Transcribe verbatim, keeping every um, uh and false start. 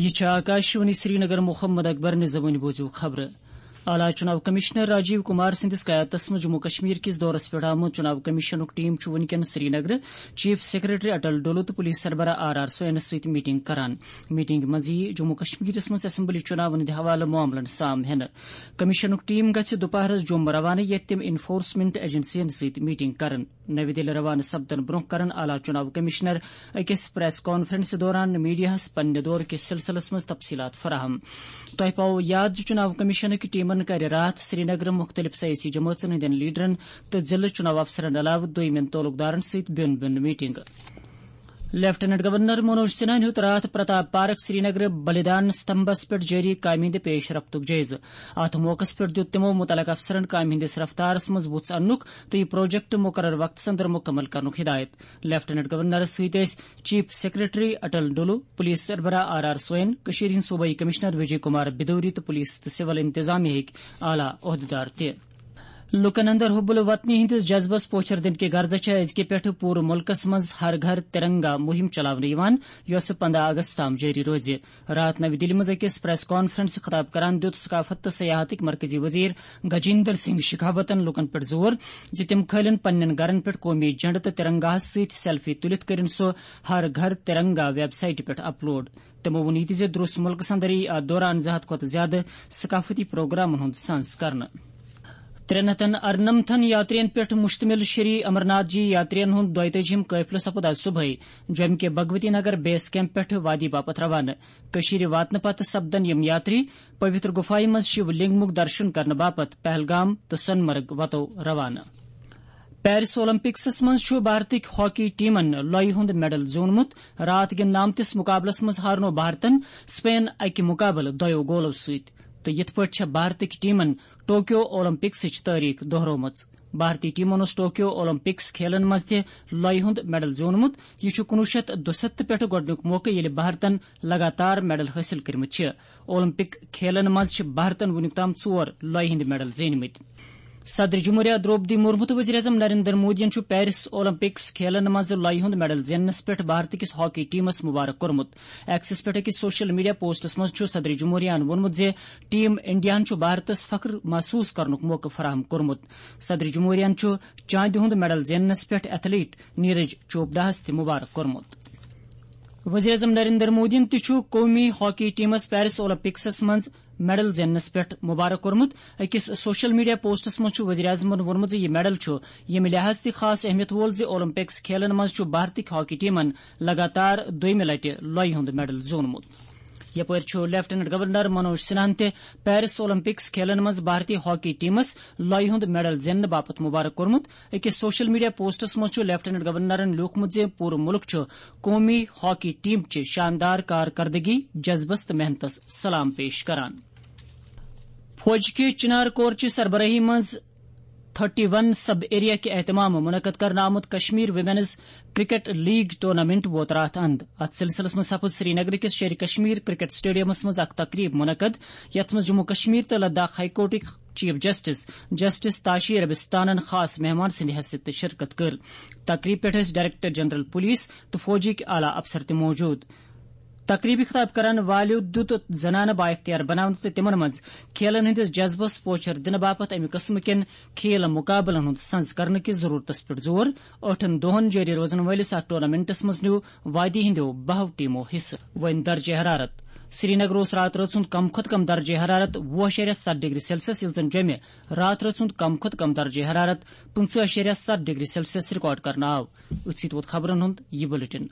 یہِ چھِ آکاشوانی سرینگر۔ محمد اکبر نِظامٕنۍ بوٗزِو خبرٕ۔ اعلیٰ چُناو کمشنر راجیو کمار سٕنٛدِس قیادتس منٛز جموں کشمیر کِس دورس پٮ۪ٹھ آمُت چُناو کمیشنُک ٹیم چھُ وُنکٮ۪ن سرینگرٕ چیف سیکرٹری اٹل ڈولو تہٕ پولیس سربراہ آر آر سوینس سۭتۍ میٹنگ کران۔ میٹنگ منٛز یِیہِ جموں کشمیرس منٛز اسمبلی چُناون ہٕنٛدِ حوالہٕ معاملن سام ہٮ۪نہٕ۔ کمیشنُک ٹیم گژھِ دُپہرس جوٚم روانہٕ، ییٚتہِ تِم انفورسمنٹ ایجنسین سۭتۍ میٹنگ کرن۔ نَوِ دِلہِ روانہٕ سپدن برونٛہہ کرن اعلیٰ چُناو کمشنر أکِس پریس کانفرنس دوران میڈیاہَس پننہِ دورٕ کِس سلسلس منٛز تفصیلات فراہم۔ تۄہہِ پاوو یاد زِ چُناو کمیشنٕکۍ ٹیمن کَرِ راتھ سرینگرٕ مُختٔلِف سیٲسی جمٲژن ہٕنٛدٮ۪ن لیڈرن تہٕ ضلعہٕ چُناو افسرن علاوٕ دویمٮ۪ن تعلقدارن سۭتۍ بیوٚن بیوٚن میٹنگ۔ لیفٹیننٹ گورنر منوج سنہاہن ہیوٚت راتھ پرتاپ پارک سرینگرٕ بلیدان ستمبھس پٮ۪ٹھ جٲری کامہِ ہٕنٛدِ پیش رفتُک جٲیزٕ۔ اتھ موقعس پٮ۪ٹھ دِیُت تِمو مُتعلقہٕ افسرن کامہِ ہٕنٛدِس رفتارس منٛز وُژھ اننُک تہٕ یہِ پروجیکٹ مُقرر وقتس اندر مُکمل کرنُک ہدایت۔ لیفٹیننٹ گورنرس سۭتۍ ٲسۍ چیف سیکرٹری اٹل ڈولو، پولیس سربراہ آر آر سوین، کٔشیٖرِ ہٕنٛدۍ صوبٲئی کمشنر وجے کمار بدوری تہٕ پولیس تہٕ سول انتظامیہ ہٕکۍ اعلیٰ عہدیدار تہِ۔ لوٗکن اندر حب الوطنی ہٕنٛدِس جذبس پوچھر دِنہٕ کہِ غرضہٕ چھےٚ أزکہِ پٮ۪ٹھٕ پوٗرٕ مُلکس منٛز ہر گھر ترنگا مُہِم چلاونہٕ یِوان، یۄسہٕ پنٛداہ اگست تام جٲری روزِ۔ راتھ نَوِ دِلہِ منٛز أکِس پریس کانفرنسہٕ خطاب کران دِیُت ثقافت تہٕ سیاحتٕکۍ مرکزی وزیر گجیندر سنگھ شیخاوتن لوٗکن پٮ۪ٹھ زور زِ تِم کھٲلِن پننٮ۪ن گرن پٮ۪ٹھ قومی جھنڈٕ تہٕ ترنگاہس سۭتۍ سیلفی تُلِتھ کٔرِن سُہ ہر گھر ترنگا ویب سایٹہِ پٮ۪ٹھ اپلوڈ۔ تِمو ووٚن یہِ تہِ زِ درست مُلکس اندر یِیہِ اتھ دوران زٕ ہتھ کھۄتہٕ زیادٕ ثقافتی پروگرامن ہُنٛد سنز کرنہٕ۔ ترٛےٚ ہتن ارنمتھن یاترین پٮ۪ٹھ مشتمل شری امرناتھ جی یاترین ہُنٛد دۄیتٲجِہِم قٲفلہٕ سپُد آز صبحٲے جوٚمہِ کہِ بھگوتی نگر بیس کیمپ پٮ۪ٹھ وادی باپتھ روانہٕ۔ کٔشیٖرِ واتنہٕ پتہٕ سپدن یِم یاتری پویتر گُفایہِ منٛز شِو لنگمُک درشُن کرنہٕ باپتھ پہلگام تہٕ سۄنہٕ مرگ وتو روانہٕ۔ پیرس اولمپکسس منٛز چھُ بھارتٕکۍ ہاکی ٹیمن لۄیہِ ہُنٛد میڈل زیوٗنمُت۔ راتھ گِنٛدنہٕ آمتِس مُقابلس منٛز ہارنوو بھارتن سپین اکہِ مُقابلہٕ دۄیو گولو سۭتۍ۔ تہٕ یِتھ پٲٹھۍ چھےٚ بھارتٕکۍ ٹیمن ٹوکیو اولمپکسٕچ تٲریخ دۄہرٲومٕژ۔ بھارتی ٹیمن اوس ٹوکیو اولمپکس کھیلن منٛز تہِ لۄیہِ ہُنٛد میڈل زیوٗنمُت۔ یہِ چھُ کُنوُہ شیٚتھ دُسَتتھ پٮ۪ٹھٕ گۄڈٕنیُک موقعہٕ، ییٚلہِ بھارتن لگاتار میڈل حٲصِل کٔرمٕتۍ چھِ۔ اولمپک کھیلن منٛز چھِ بھارتن وُنیُک تام ژور لۄیہِ ہٕنٛدۍ میڈل زیٖنۍمٕتۍ۔ صدر جمہوریہ درٛوپدی مرمو تہٕ وزیر اعظم نریندر مودیَن چھُ پیرس اولمپکس کھیلن منٛز لۄیہِ ہُنٛد میڈل زیننس پٮ۪ٹھ بھارتٕکِس ہاکی ٹیمس مبارک کوٚرمُت۔ ایکسس پٮ۪ٹھ أکِس سوشل میڈیا پوسٹس منٛز چھُ صدر جمہوریہَن ووٚنمُت زِ ٹیم انڈیاہَن چھُ بھارتس فخر محسوس کرنُک موقعہٕ فراہم کوٚرمُت۔ صدر جمہوریہَن چھُ چاندِ ہُنٛد میڈل زیننس پٮ۪ٹھ ایتھلیٹ نیرج چوپڈاہَس تہِ مبارک کوٚرمُت۔ وزیر اعظم نریندر مودیَن تہِ چھُ قومی ہاکی ٹیمس پیرس اولمپکسس منٛز میڈل زیننس پٮ۪ٹھ مبارک کوٚرمُت۔ أکِس سوشل میڈیا پوسٹس منٛز چھُ وزیر اعظمَن ووٚنمُت زِ یہِ میڈل چھُ ییٚمہِ لحاظ تہِ خاص اہمیت وول زِ اولمپکس کھیلن منٛز چھُ بھارتٕکۍ ہاکی ٹیمن لگاتار دوٚیمہِ لٹہِ لۄیہِ ہُنٛد میڈل زیوٗنمُت۔ یپٲرۍ چھُ لیفٹیننٹ گورنر منوج سنہاہَن تہِ پیرس اولمپکس کھیلن منٛز بھارتی ہاکی ٹیمس لۄیہِ ہُنٛد میڈل زیننہٕ باپتھ مبارک کوٚرمُت۔ أکِس سوشل میڈیا پوسٹس منٛز چھُ لیفٹیننٹ گورنرَن لیوٗکھمُت زِ پوٗرٕ مُلک چھُ قومی ہاکی ٹیم چہِ شاندار کارکردگی، جذبس تہٕ محنتس سلام پیش کران۔ فوج کہِ چنار کور چہِ سربراہی منٛز تھرٹی ون سب ایریا کہِ اہتمام منعقد کرنہٕ آمُت Kashmir women's cricket league tournament ووت راتھ اند۔ اتھ سلسلس منٛز سپُد سرینگر کِس شیرِ کشمیر کرکٹ سٹیڈیمس منٛز اکھ تقریب منعقد، یتھ منٛز جموں کشمیر تہٕ لداخ ہائی کورٹٕکۍ چیف جسٹس، جسٹس تاشی ربستانن خاص مہمان سٕنٛدِ حیثیت تہٕ شرکت کٔر۔ تقریب پٮ۪ٹھ ٲسۍ ڈائریکٹر جنرل پولیس تہٕ فوجٕکۍ اعلیٰ افسر تہِ موجود۔ تقریبی خطاب کرن والیو دیُت زنانہٕ بااختیار بناونہٕ تہٕ تِمن منٛز کھیلن ہٕنٛدِس جذبس پوچھر دِنہٕ باپتھ امہِ قٕسمہٕ کٮ۪ن کھیل مُقابلن ہُنٛد سنز کرنہٕ کِس ضروٗرتس پٮ۪ٹھ زور۔ ٲٹھن دۄہن جٲری روزن وٲلِس اتھ ٹورنامنٹس منٛز نیوٗ وادی ہٕنٛدیو بَہَو ٹیمو حصہٕ۔ وۄنۍ درجہ حرارت۔ سرینگر اوس راتہٕ رٲژ ہُنٛد کم کھۄتہٕ کم درجہ حرارت وُہ اَشاریہ ستھ ڈگری سیلسیس، ییٚلہِ زن جوٚمہِ راتہٕ رٲژ ہُنٛد کم کھۄتہٕ کم درجہ حرارت پٕنٛژٕہ اَشاریہ ستھ ڈگری سیلسیس ریکارڈ کرنہٕ آو۔ أتھۍ سۭتۍ ووت خبرن ہُنٛد یہِ بُلٹن۔